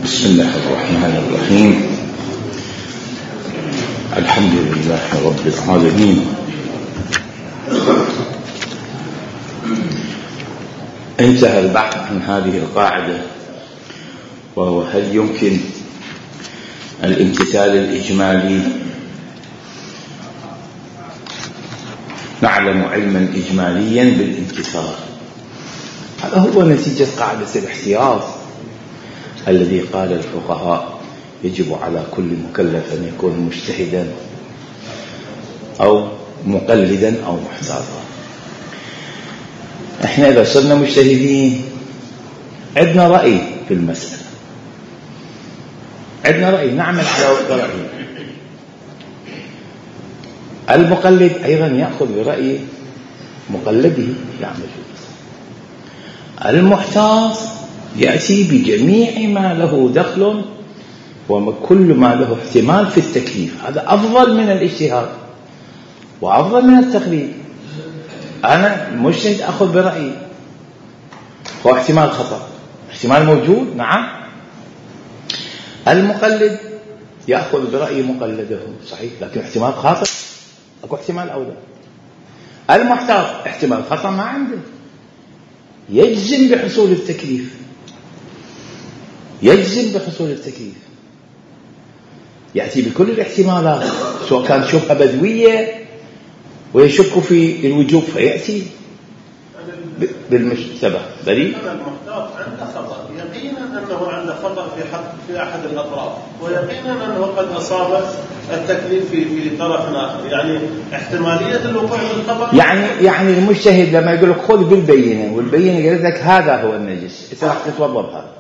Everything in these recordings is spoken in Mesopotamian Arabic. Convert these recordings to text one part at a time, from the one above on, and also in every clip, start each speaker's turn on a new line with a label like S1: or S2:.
S1: بسم الله الرحمن الرحيم. الحمد لله رب العالمين. انتهى البحث عن هذه القاعدة، وهو هل يمكن الامتثال الإجمالي؟ نعلم علما إجماليا بالامتثال. هذا هو نتيجة قاعدة الاحتياط الذي قال الفقهاء يجب على كل مكلف أن يكون مجتهدا أو مقلدا أو محتاطا. احنا إذا صرنا مجتهدين عندنا رأي في المسألة، عندنا رأي نعمل على وفق رأيه. المقلد أيضا يأخذ برأي مقلده يعمل فيه. المحتاط يأتي بجميع ما له دخل وكل ما له احتمال في التكليف. هذا أفضل من الاجتهاد وأفضل من التقليد. أنا مجتهد أخذ برأيي، هو احتمال خطأ، احتمال موجود، نعم. المقلد يأخذ برأي مقلده، صحيح، لكن احتمال خاطئ، أكو احتمال أولى. المحتاط احتمال خطأ ما عنده، يجزم بحصول التكليف، يجزم بحصول التكليف، يأتي بكل الاحتمالات، سواء كان شبهة بدوية ويشك في الوجوب فيأتي بالمشتبه دليل.
S2: المحتاط عنده خطأ، يقينا أنه عنده خطأ في أحد الأطراف، ويقينا أنه قد أصاب التكليف في طرف آخر، يعني احتمالية الوقوع بالخطأ.
S1: يعني المجتهد لما يقول لك خذ بالبينة، والبينة قالت لك هذا هو النجس، أنت راح تتوضأ بهذا،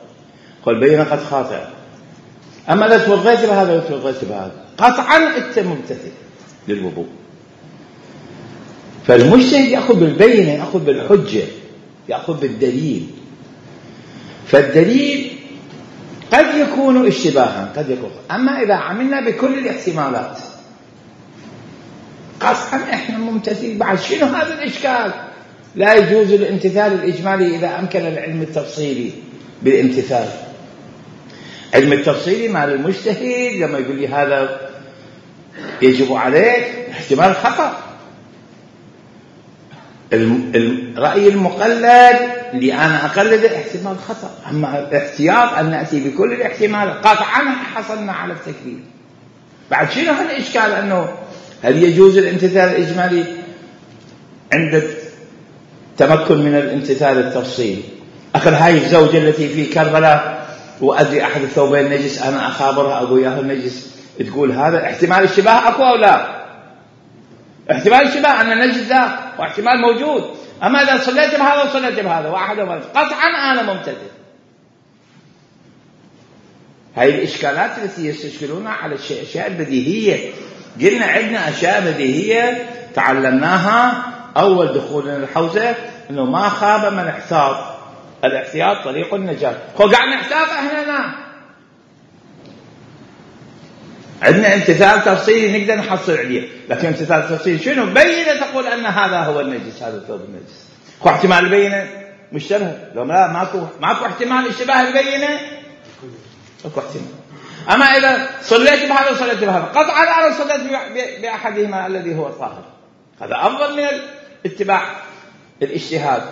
S1: خذ البينة قد خاطئة. أما لا توضيت بهذا وتوضيت بهذا، قطعا أنت ممتثل للوضوء. فالمجتهد يأخذ بالبينة، يأخذ بالحجة، يأخذ بالدليل. فالدليل قد يكون اشتباها، قد يكون. أما إذا عملنا بكل الاحتمالات قطعا إحنا ممتثل. بعد شنو هذا الإشكال؟ لا يجوز الامتثال الإجمالي إذا أمكن العلم التفصيلي بالامتثال. علم التفصيلي مع المجتهد لما يقول لي هذا يجب عليك، احتمال خطأ. الرأي المقلد اللي أنا أقلده احتمال خطأ. أما الاحتياط أن نأتي بكل الاحتمال قطعا حصلنا على التكليف. بعد شنو هالإشكال؟ أنه هل يجوز الامتثال الإجمالي عند تمكن من الامتثال التفصيلي؟ أخذ هاي الزوجة التي في كربلاء وأدري أحد الثوبين نجس، أنا أخابرها أقول ياهو النجس، تقول هذا احتمال الشبه أقوى أو لا؟ احتمال الشبه أن النجس ذا واحتمال موجود. أما إذا صليت بهذا وصليت بهذا واحد وواحد قطعا أنا ممتثل. هاي الإشكالات التي يستشكلونها على الأشياء البديهية. قلنا عندنا أشياء بديهية تعلمناها أول دخولنا الحوزة، إنه ما خاب من احتاط، الاحتياط طريق النجاة. قاعد نحتاط احنا عندنا امتثال تفصيلي نقدر نحصل عليه، لكن امتثال تفصيلي شنو؟ بينة تقول أن هذا هو النجس، هذا الثوب النجس. هو احتمال البينة مشتبه، لو لا ماكو احتمال اشتباه البينة، اكو احتمال. أما إذا صليت بهذا وصليت بهذا قطعا أنا صليت بأحدهما الذي هو الظاهر، هذا أفضل من اتباع الاجتهاد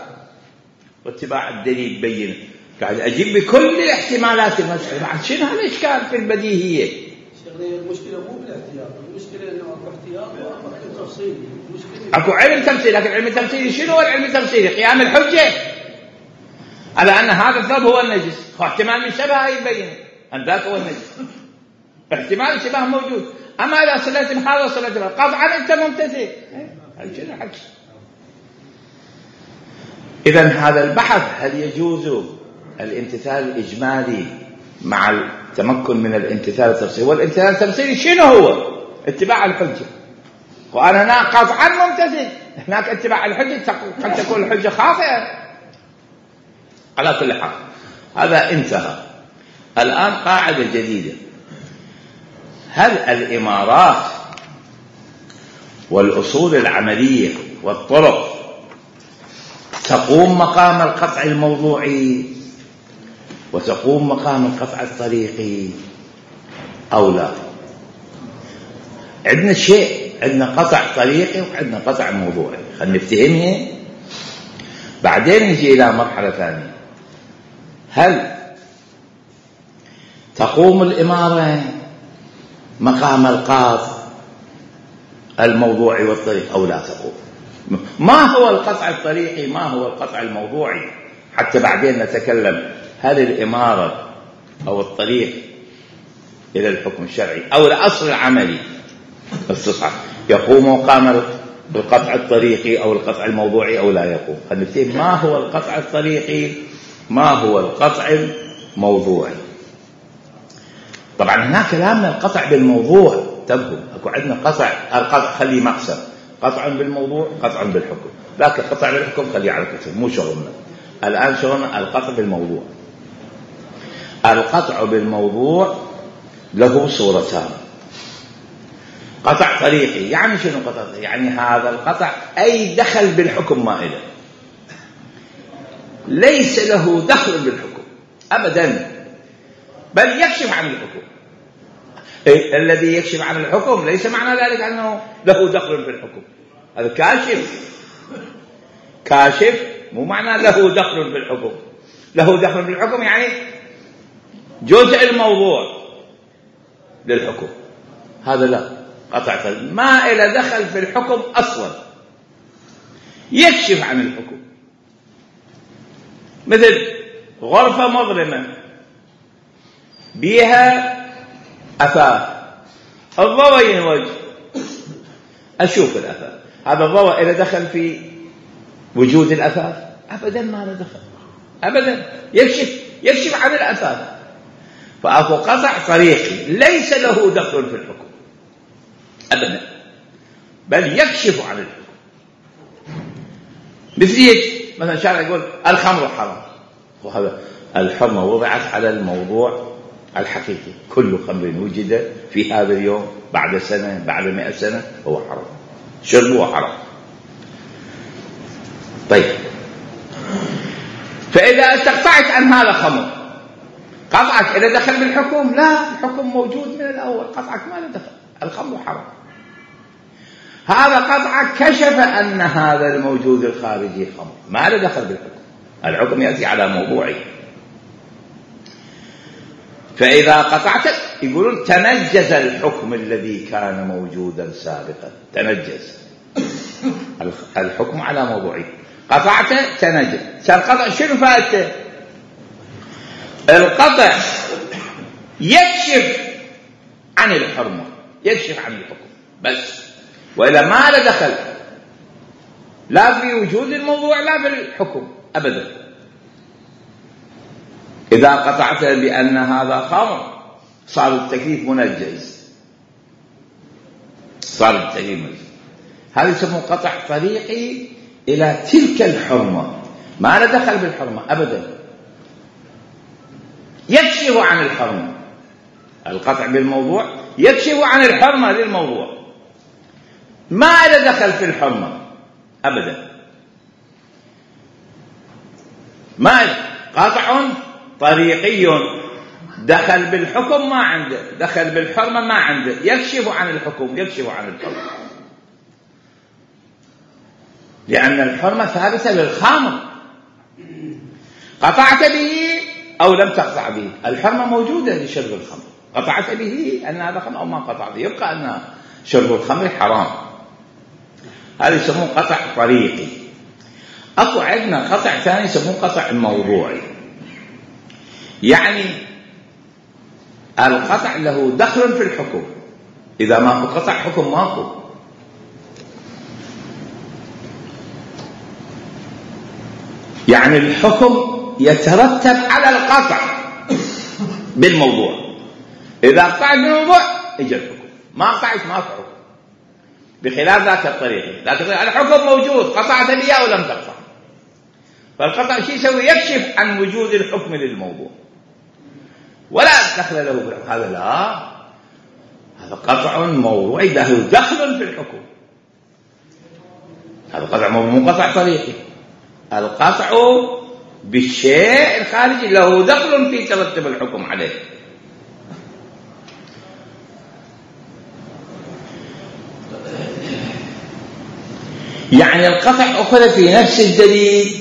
S1: واتباع الدليل بينة. قاعد أجيب بكل الاحتمالات المسألة. بعد شنو هالإشكال في البديهية؟
S3: المشكلة مو بالاحتياط، المشكلة إنه أكو احتياط وأكو علم تفصيلي.
S1: أكو علم تفصيلي، لكن علم التفصيلي شنو هو العلم التفصيلي؟ قيام الحجة على أن هذا الثوب هو النجس، هو احتمال من شبه يبين أن ذاك هو النجس، احتمال الشبه موجود. أما إذا صليت بهذا وصليت بهذا قطعا أنت ممتثل. هالشيء حكي. إذن هذا البحث هل يجوز الامتثال الإجمالي مع التمكن من الامتثال التفصيلي؟ والامتثال التفصيلي شنو هو؟ اتباع الحجة. وأنا هنا قطعا ممتثل، هناك اتباع الحجة قد تكون الحجة خاطئة. على كل حال هذا انتهى. الآن قاعدة جديدة: هل الإمارات والأصول العملية والطرق تقوم مقام القطع الموضوعي وتقوم مقام القطع الطريقي أو لا. عندنا شيء، عندنا قطع طريقي وعندنا قطع موضوعي، خلينا نفتهمها بعدين نجي إلى مرحلة ثانية. هل تقوم الإمارة مقام القطع الموضوعي والطريقي أو لا تقوم؟ ما هو القطع الطريقي، ما هو القطع الموضوعي، حتى بعدين نتكلم هل الإمارة أو الطريق إلى الحكم الشرعي أو الأصل العملي استصحاب يقوم مقام القطع الطريقي أو القطع الموضوعي أو لا يقوم. خلينا ما هو القطع الطريقي، ما هو القطع الموضوعي. طبعا هناك كلامنا القطع بالموضوع، انتبهوا اكو عندنا القطع خليه مقسم، قطع بالموضوع قطع بالحكم، لكن قطع بالحكم خليه على كتف، مو شغلنا الآن، شغلنا القطع بالموضوع. القطع بالموضوع له صورتان. قطع طريقي يعني شنو قطع طريقي؟ يعني هذا القطع أي دخل بالحكم ما إله، ليس له دخل بالحكم أبدا، بل يكشف عن الحكم. الذي يكشف عن الحكم ليس معنى ذلك أنه له دخل بالحكم، هذا كاشف مو معنى له دخل بالحكم. له دخل بالحكم يعني جزء الموضوع للحكم، هذا لا قطع طريق، ما إلى دخل في الحكم أصلا، يكشف عن الحكم. مثل غرفة مظلمة بيها أثاث، الضوء ينوج أشوف الأثاث، هذا الضوء إلى دخل في وجود الأثاث؟ أبدا ما له دخل أبدا، يكشف عن الأثاث. فأكو قطع طريقي ليس له دخل في الحكم أبدا، بل يكشف عن الحكم. مثلا شارع يقول الخمر حرام، وهذا الحرمة وضعت على الموضوع الحقيقي، كل خمر وجد في هذا اليوم بعد سنة بعد 100 سنة هو حرام، شربه حرام. طيب فإذا استقطعت عن هذا خمر، قطعك إلى دخل بالحكم؟ لا، الحكم موجود من الأول، قطعك ما له دخل، الخمر حرام. هذا قطعك كشف أن هذا الموجود الخارجي خمر، ما له دخل بالحكم، الحكم يأتي على موضوعي. فإذا قطعت يقولون تنجز الحكم الذي كان موجودا سابقا، تنجز الحكم على موضوعي، قطعت تنجز. القطع شنو فائدته؟ القطع يكشف عن الحرمة، يكشف عن الحكم بس، وإلا ما له دخل لا في وجود الموضوع لا بالحكم أبدا. إذا قطعت بأن هذا خمر صار التكليف منجز، صار التكليف منجز. هذا يسمى قطع طريقي إلى تلك الحرمة، ما له دخل بالحرمة أبدا، يكشف عن الحرمة. القطع بالموضوع يكشف عن الحرمة للموضوع، ما له دخل في الحرمة أبدا. ما قطع طريقي دخل بالحكم ما عنده، دخل بالحرمة ما عنده، يكشف عن الحكم، يكشف عن الحرمة، لأن الحرمة ثابتة للخامر، قطعت به أو لم تقطع به، الحرمة موجودة لشرب الخمر، قطعت به أن هذا خمر أو ما قطع به، يبقى أن شرب الخمر حرام. هذا يسمون قطع طريقي. أكو عندنا قطع ثاني يسمون قطع موضوعي، يعني القطع له دخل في الحكم، إذا ما قطع حكم ماكو. يعني الحكم يترتب على القطع بالموضوع، إذا قطعت بالموضوع يجي الحكم، ما قطعت ما في حكم، بخلاف ذاك الطريق. لكن الحكم موجود، قطعت به أو لم تقطع، فالقطع شيء يسوي؟ يكشف عن وجود الحكم للموضوع ولا دخل له بالحكم. هذا لا، هذا قطع موضوعي له دخل في الحكم، هذا قطع مو قطع طريقي. القطع بالشيء الخارجي له دخل في ترتب الحكم عليه. يعني القطع أخذ في نفس الدليل،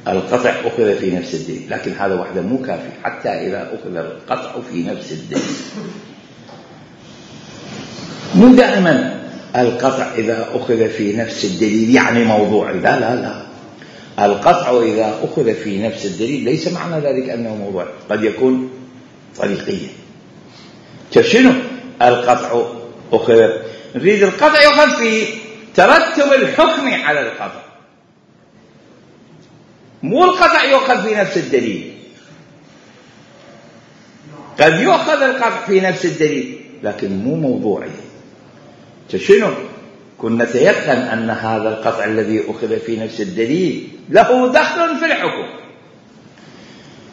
S1: القطع أخذ في نفس الدليل، لكن هذا وحده مو كافي حتى إذا أخذ القطع في نفس الدليل. مو دائما القطع إذا أخذ في نفس الدليل يعني موضوعي، لا لا لا، القطع إذا أخذ في نفس الدليل ليس معنى ذلك أنه موضوعي، قد يكون طريقيا. شنو القطع أخذ؟ نريد القطع يؤخذ في ترتب الحكم على القطع، مو القطع يؤخذ في نفس الدليل. قد يؤخذ القطع في نفس الدليل لكن مو موضوعي. شنو؟ كنا نتيقن أن هذا القطع الذي أخذ في نفس الدليل له دخل في الحكم،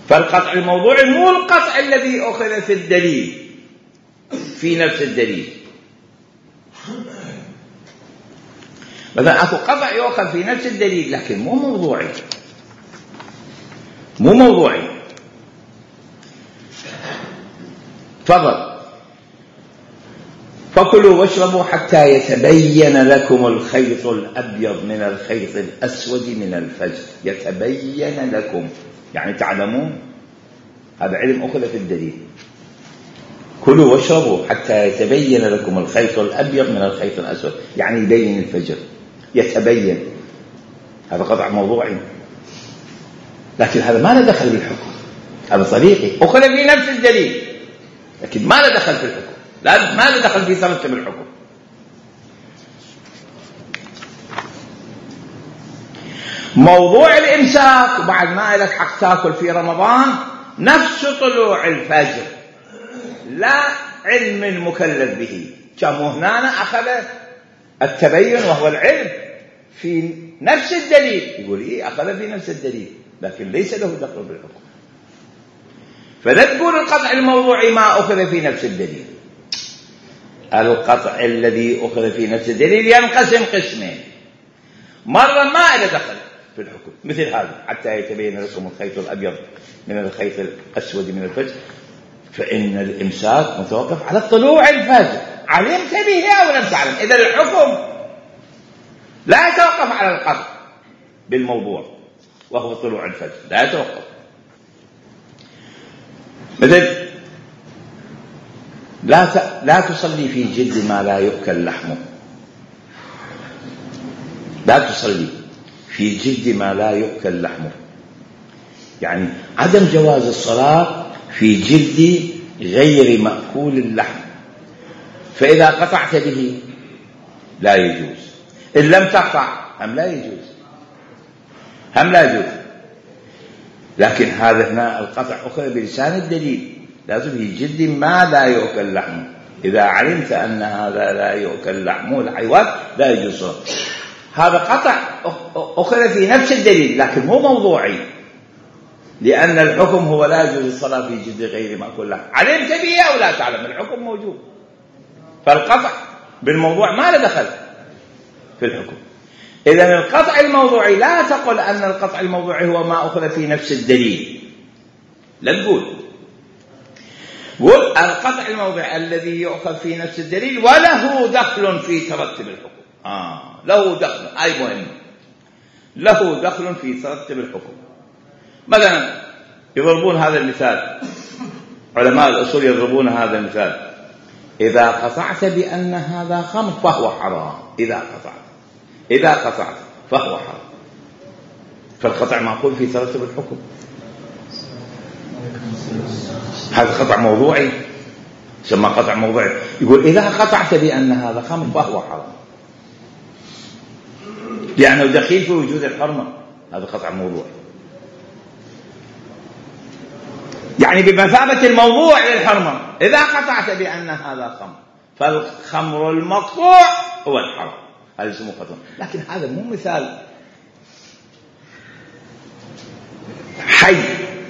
S1: فالقطع الموضوعي مو القطع الذي أخذ في الدليل في نفس الدليل. مثلا أكو قطع يؤخذ في نفس الدليل لكن مو موضوعي، مو موضوعي. تفضل. فكلوا واشربوا حتى يتبين لكم الخيط الأبيض من الخيط الأسود من الفجر. يتبين لكم يعني تعلمون، هذا علم أخذ في الدليل. كلوا واشربوا حتى يتبين لكم الخيط الأبيض من الخيط الأسود، يعني يبين الفجر، يتبين. هذا قطع موضوعي لكن هذا ما له دخل بالحكم، هذا طريقي أخذ في نفس الدليل لكن ما له دخل في الحكم، ما له دخل في ترتب الحكم. موضوع الإمساك وبعد ما لك حق تاكل في رمضان نفس طلوع الفجر، لا علم المكلف به. كما هنا أخذ التبين وهو العلم في نفس الدليل، يقول أخذ في نفس الدليل لكن ليس له دخل بالحكم. فلا تقول القطع الموضوعي ما أخذ في نفس الدليل. القطع الذي أخذ في نفس الدليل ينقسم قسمين، مرة ما له دخل في الحكم مثل هذا حتى يتبين لكم الخيط الأبيض من الخيط الأسود من الفجر، فإن الإمساك متوقف على طلوع الفجر، علمت به أو لم تعلم. إذا الحكم لا يتوقف على القطع بالموضوع وهو طلوع الفجر، لا يتوقف. مثل لا تصلي في جلد ما لا يؤكل لحمه، لا تصلي في جلد ما لا يؤكل لحمه، يعني عدم جواز الصلاة في جلد غير مأكول اللحم. فإذا قطعت به لا يجوز، إن لم تقطع هم لا يجوز، هم لا يجوز. لكن هذا هنا القطع أخذ بلسان الدليل، لازم في جلد ما لا يؤكل لحمه. إذا علمت أن هذا لا يؤكل لحمه الحيوان لا يجوز. هذا قطع أخذ في نفس الدليل لكن مو موضوعي، لأن الحكم هو لا يجوز الصلاة في جلد غير مأكول لحم، علمت به أو لا تعلم الحكم موجود. فالقطع بالموضوع ما له دخل في الحكم. إذن القطع الموضوعي لا تقل أن القطع الموضوعي هو ما أخذ في نفس الدليل، لا تقول. قل القطع الموضوعي الذي يؤخذ في نفس الدليل وله دخل في ترتب الحكم. له دخل، أي مهم، له دخل في ترتب الحكم. مثلا يضربون هذا المثال، علماء الأصول يضربون هذا المثال: إذا قطعت بأن هذا خمر فهو حرام. إذا قطعت فهو حرام. فالقطع معقول في ترتب الحكم. هذا قطع موضوعي، يسمى قطع موضوعي. يقول إذا قطعت بأن هذا خمر فهو حرام، لأنه دخيل في وجود الحرمة. هذا قطع موضوعي، يعني بمثابة الموضوع للحرمة. إذا قطعت بأن هذا خمر فالخمر المقطوع هو الحرام، هذا اسمه قطع. لكن هذا مو مثال حي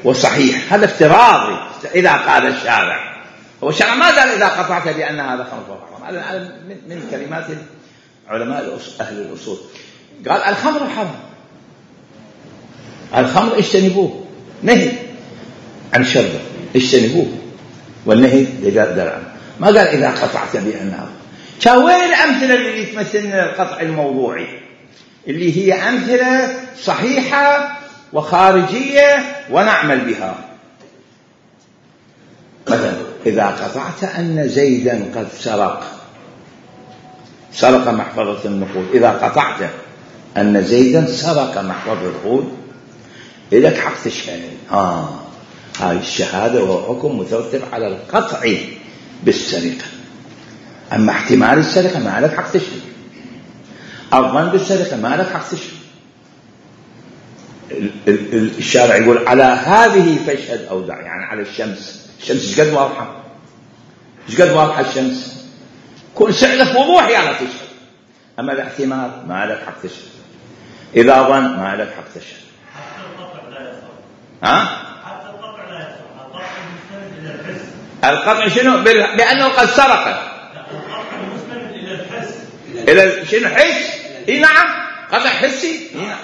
S1: وصحيح، هذا افتراضي. إذا قال الشارع، هو الشارع ما قال إذا قطعت بأن هذا خمر فهو حرام. هذا من كلمات علماء أهل الأصول. قال الخمر حرام، الخمر اجتنبوه، نهي عن شربه، اجتنبوه، والنهي درعا. ما قال إذا قطعت بأنها. كان وين الأمثلة اللي تمثلنا القطع الموضوعي اللي هي أمثلة صحيحة وخارجية ونعمل بها؟ مثلا إذا قطعت أن زيدا قد سرق محفظة النقود، إذا قطعت أن زيدا سرق محفظة النقود إليك حق تشهد. هاي الشهادة وهو حكم مترتب على القطع بالسرقة. أما احتمال السرقة ما لك حق تشهد، الظن بالسرقة ما لك حق تشهد. الشارع يقول على هذه فاشهد أو دع، يعني على الشمس ايش قد واضحة، ايش قد واضحة الشمس، كل سعلة وضوح يعني تشهد. أما الاحتمال ما لك حق تشهد، إذا ظن ما لك حق تشهد.
S4: حتى القطع لا يصح.
S1: حتى القطع لا يصح، القطع مستند إلى الحس. القطع شنو؟ بأنه قد سرق.
S4: القطع مستند إلى الحس.
S1: إلى شنو؟ حس. إيه نعم، قطع حسي. نعم.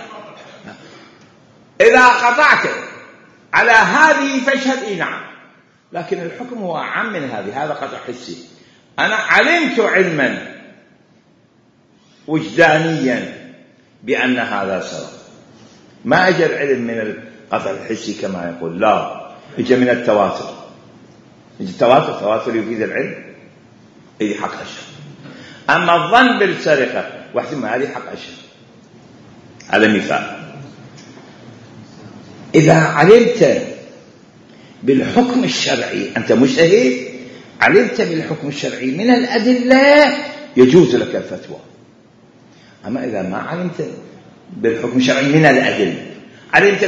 S1: إذا قطعت على هذه فاشهد. إيه نعم، لكن الحكم هو أعم من هذه. هذا قطع حسي، أنا علمت علما وجدانيا بأن هذا سرق، ما أجى العلم من القطع الحسي كما يقول، لا، أجى من التواتر. التواتر يفيد العلم، إذا حق أشهر. أما الظن بالسرقة واحتمال هذه حق أشهر. هذا مثال. إذا علمت بالحكم الشرعي، أنت مجتهد، علمت بالحكم الشرعي من الأدلة يجوز لك الفتوى. أما إذا ما علمت بالحكم الشرعي من الأدلة، علمت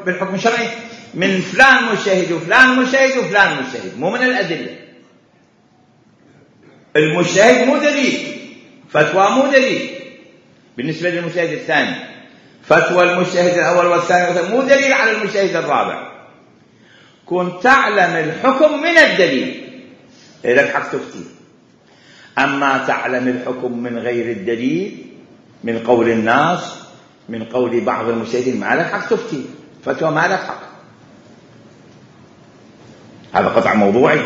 S1: بالحكم الشرعي من فلان مجتهد وفلان مجتهد وفلان مجتهد، مو من الأدلة. المجتهد مو دليل، فتوى مو دليل بالنسبة للمجتهد الثاني. فتوى المجتهد الأول والثاني مو دليل على المجتهد الرابع. كنت تعلم الحكم من الدليل لك حق تفتي. أما تعلم الحكم من غير الدليل، من قول الناس، من قول بعض المجتهدين، ما لك حق تفتي، فتوى ما لك حق. هذا قطع موضوعي.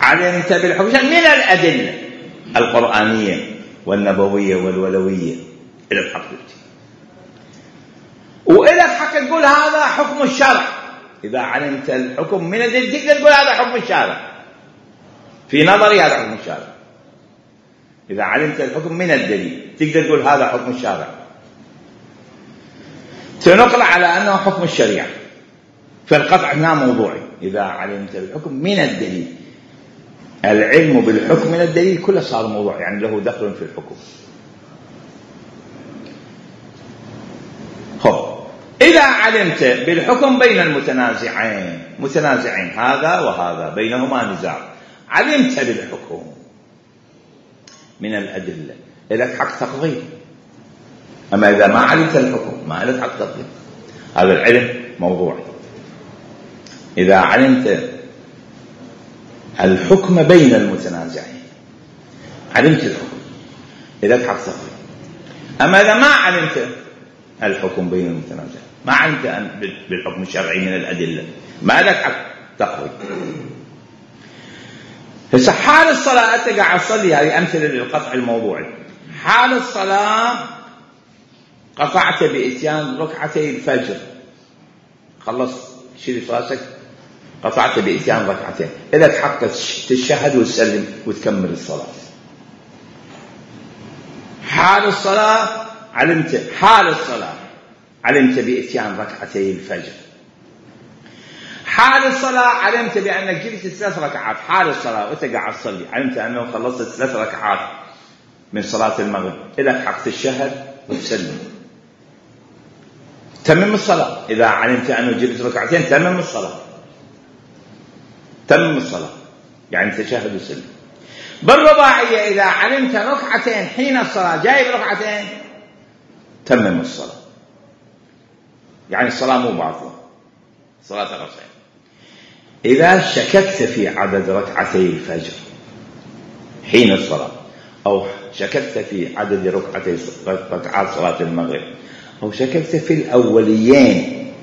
S1: علمت بالحكم من الأدلة القرآنية والنبوية والولوية، إلى الحق تفتي. وإلى الحق تقول هذا حكم الشرع. إذا علمت الحكم من الدليل تقدر تقول هذا حكم الشارع، في نظري هذا حكم الشارع. إذا علمت الحكم من الدليل تقدر تقول هذا حكم الشارع، سنقل على أنه حكم الشريعة. فالقطع هنا موضوعي. إذا علمت الحكم من الدليل، العلم بالحكم من الدليل كله صار موضوع، يعني له دخل في الحكم. إذا علمت بالحكم بين المتنازعين هذا وهذا بينهما نزاع، علمت بالحكم من الأدلة لك حق تقضي. أما إذا ما علمت الحكم ما لك حق تقضي. هذا العلم موضوعي. إذا علمت الحكم بين المتنازعين، علمت الحكم لك حق تقضي. أما إذا ما علمت الحكم بين المتنازعين، ما علمت بالحكم الشرعي من الأدلة، ما لك حق تقضي. هسه حال الصلاة، أنت قاعد تصلي، هذه أمثلة للقطع الموضوعي. حال الصلاة قطعت بإتيان ركعتي الفجر، خلصت شيل راسك، قطعت بإتيان ركعتين، إذا حق تشهد وتسلم وتكمل الصلاة. حال الصلاة علمت بإتيان ركعتي الفجر. حال الصلاة علمت بأنك جلست 3 ركعات. حال الصلاة وأنت قاعد تصلي علمت أنه خلصت 3 ركعات من صلاة المغرب، إلى حق تشهد وتسلم، تمم الصلاة. إذا علمت أنه جلست ركعتين تمم الصلاة، يعني تشهد وتسلم. بالرباعية إذا علمت ركعتين حين الصلاة، جايب ركعتين، تمم الصلاة، يعني الصلاة مو باطلة، صلاة ركعتين. إذا شككت في عدد ركعتي الفجر حين الصلاة، أو شككت في عدد ركعات صلاة المغرب، أو شككت في الأوليين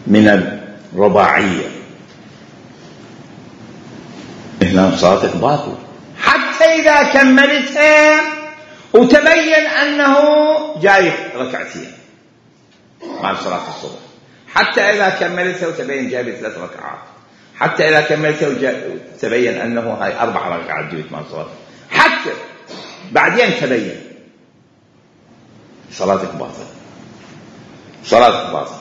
S1: من الرباعية، هنا صلاتك باطل حتى إذا كملتها وتبين أنه جاي ركعتين مع صلاة الصبح، حتى إذا كملتها وتبين جاي 3 ركعات، حتى إذا كملتها وتبين أنه هاي 4 ركعات جبت مع صلاة، حتى بعدين تبين، صلاتك باطل، صلاتك باطل.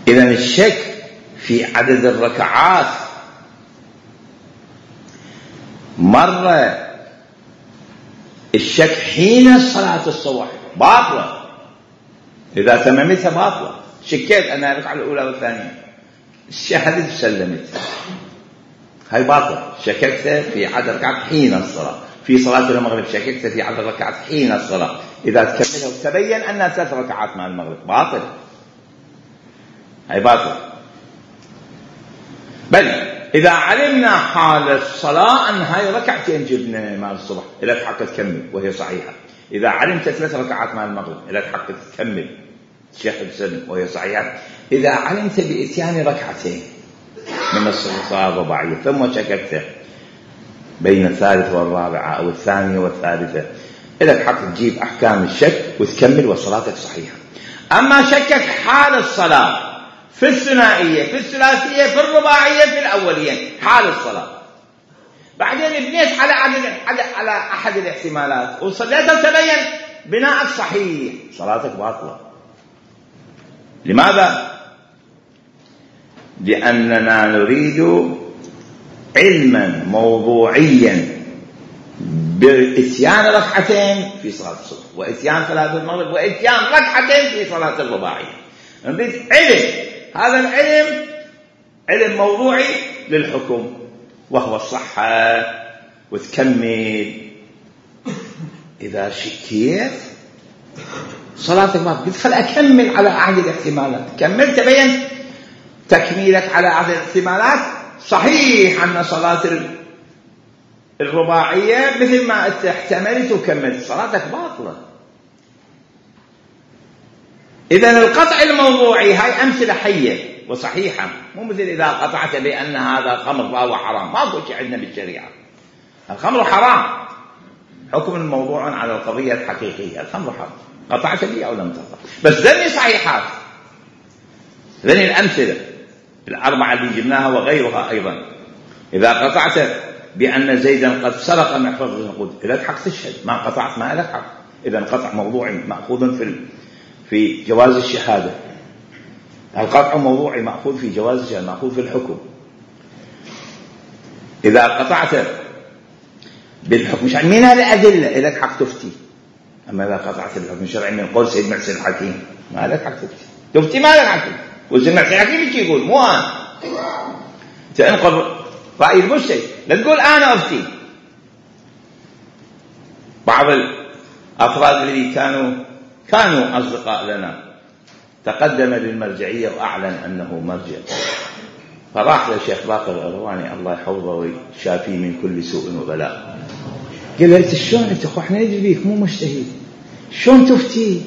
S1: إذن الشك في عدد الركعات مرة الشك حين صلاة الصبح باطلة، إذا تممتها باطلة، شكيت أنا الركعة الأولى والثانية شهدت وسلمت، هاي باطلة. شككت في عدد ركعات حين الصلاة، في صلاة المغرب شككت في عدد ركعات حين الصلاة، إذا تكملها وتبين أنها 3 ركعات مع المغرب باطل، هاي باطل. بل إذا علمنا حال الصلاة أن هاي ركعتين جبنا مع الصبح إلى حق تكمل وهي صحيحة، إذا علمت 3 ركعات مع المغرب إلى حق تكمل شهد سلم وهي صحيحة، إذا علمت بإتيان ركعتين من الصلاة الرباعية ثم شككت بين الثالثة والرابعة أو الثانية والثالثة إلى حق تجيب أحكام الشك وتكمل وصلاتك صحيحة. أما شكك حال الصلاة في الثنائية في الثلاثية في الرباعية في الأوليين حال الصلاة، بعدين بنيت على أحد الاحتمالات وصليت وتبين بناءك صحيح، صلاتك باطلة. لماذا؟ لأننا نريد علما موضوعيا بإتيان ركعتين في صلاة الصبح وإتيان صلاة المغرب وإتيان ركعتين في صلاة الرباعية، نريد علم، هذا العلم علم موضوعي للحكم وهو الصحة وتكمل. إذا شكيت صلاتك ما قلت خل أكمل على أحد الاحتمالات، كمل تبين تكميلك على أحد الاحتمالات صحيح أن صلاة الرباعية مثل ما احتملت وكملت، صلاتك باطلة. إذن القطع الموضوعي هاي أمثلة حية وصحيحة، مو مثل إذا قطعت بأن هذا خمر فهو حرام، ما أقول شيء عندنا بالشريعة، الخمر حرام، حكم الموضوع على القضية الحقيقية، الخمر حرام، قطعت بي أو لم تقطع، بس ذني صحيحات، ذني الأمثلة 4 اللي جبناها وغيرها أيضا. إذا قطعت بأن زيدا قد سرق محفظة النقود إذا حق تشهد، ما قطعت ما لك حق، إذا قطع موضوعي مأخوذ في جواز الشهادة، القطع موضوعي مأخوذ في جواز الشهادة، مأخوذ في الحكم. إذا قطعت بالحكم الشرعي من الأدلة لك حق تفتي، أما إذا قطعت بالحكم الشرعي من قول سيد محسن الحكيم ما لك حق تفتي ما لك حق، وسيد محسن الحكيم ايش يقول؟ مو أنا تنقل رأي المجتهد، لا تقول أنا أفتي. بعض الأفراد الذي كانوا أصدقاء لنا تقدم للمرجعية وأعلن أنه مرجع، فراح للشيخ باقر الغرواني الله يحفظه ويشافيه من كل سوء وبلاء، قال له شلون أنت أخو احنا ندري بيك مو مجتهد شلون تفتي؟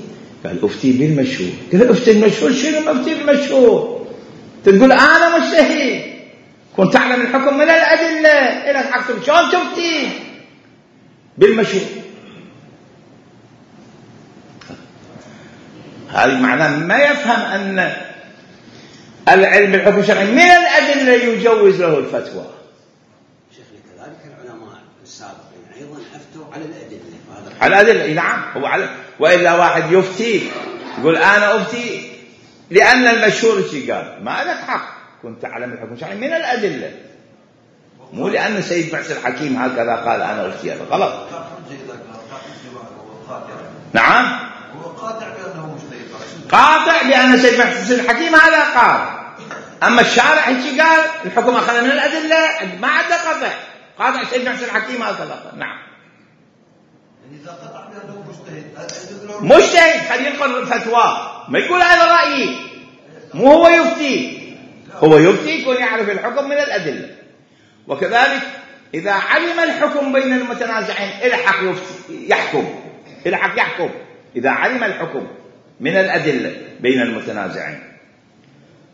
S1: قال أفتي بالمشهور. قال له أفتي المشهور؟ شنو أفتي بالمشهور؟ تقول أنا مجتهد، كنت تعلم الحكم من الأدلة إلى حق شلون تفتي بالمشهور؟ هذه معناه ما يفهم أن العلم بالحكم الشرعي من الأدلة يجوز له الفتوى.
S5: شيخنا كذلك العلماء السابقين أيضا أفتوا على الأدلة،
S1: على الأدلة نعم، هو على، وإلا واحد يفتي يقول أنا أفتي لأن المشهور شيء قال، ما لك حق، كنت تعلم الحكم الشرعي من الأدلة، مو لأن سيد محسن الحكيم هكذا قال أنا أفتي، هذا غلط. نعم
S6: هو قاطع بأنه مجتهد،
S1: قاطع بأن سيد محسن الحكيم هذا قال، أما الشارع ايش قال؟ الحكم أخذ من الأدلة، ما عنده قطع، قاطع سيد محسن الحكيم هذا قال. نعم
S6: يعني إذا قطع بأنه
S1: مجتهد خليه ينقل فتوى، ما يقول هذا رأيي، مو هو يفتي، هو يفتي يكون يعرف الحكم من الأدلة. وكذلك إذا علم الحكم بين المتنازعين الحق يحكم، الحق يحكم إذا علم الحكم من الأدلة بين المتنازعين.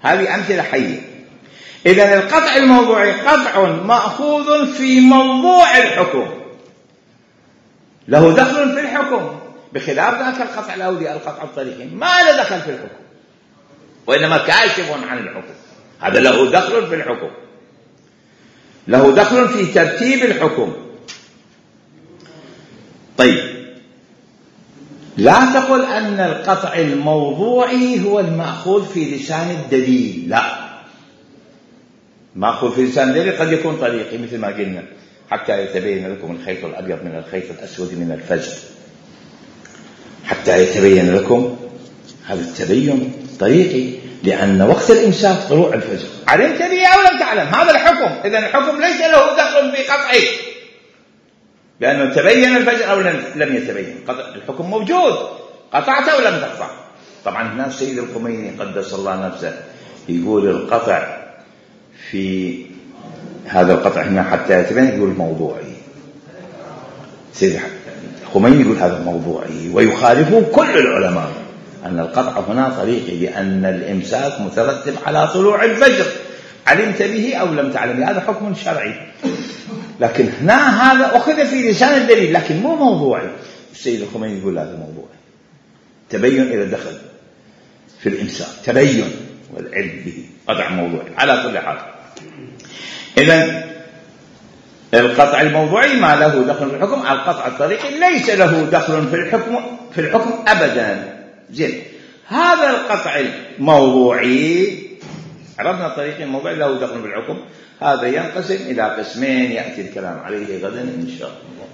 S1: هذه أمثلة حية. إذن القطع الموضوعي قطع مأخوذ في موضوع الحكم، له دخل في الحكم، بخلاف ذاك القطع الأولي القطع الطريقي ما له دخل في الحكم، وإنما كاشف عن الحكم. هذا له دخل في الحكم، له دخل في ترتيب الحكم. طيب، لا تقل أن القطع الموضوعي هو المأخوذ في لسان الدليل، لا، مأخوذ في لسان الدليل قد يكون طريقي مثل ما قلنا، حتى يتبين لكم الخيط الأبيض من الخيط الأسود من الفجر، حتى يتبين لكم، هذا التبين طريقي، لأن وقت الإمساك طلوع الفجر، علمت به أو لم تعلم، هذا الحكم. إذن الحكم ليس له دخل في قطعه، لأنه تبين الفجر أو لم يتبين، الحكم موجود، قطعت أو لم تقطع. طبعا هنا السيد الخميني قدس الله نفسه يقول القطع في هذا القطع هنا حتى يتبين، يقول موضوعي. سيد الخميني يقول هذا موضوعي، ويخالفه كل العلماء أن القطع هنا طريقي، لأن الإمساك مترتب على طلوع الفجر، علمت به أو لم تعلم، هذا حكم شرعي. لكن هنا هذا أخذ في لسان الدليل لكن مو موضوعي. السيد الخميني يقول هذا موضوعي، تبين إذا دخل في الإمساك، تبين والعلم به، قطع موضوعي على كل حال. إذن القطع الموضوعي ما له دخل في الحكم، القطع الطريقي ليس له دخل في الحكم أبدا. زين، هذا القطع الموضوعي عرفنا الطريق الموضوعي له دخل في الحكم، هذا ينقسم إلى قسمين يأتي الكلام عليه غدا إن شاء الله.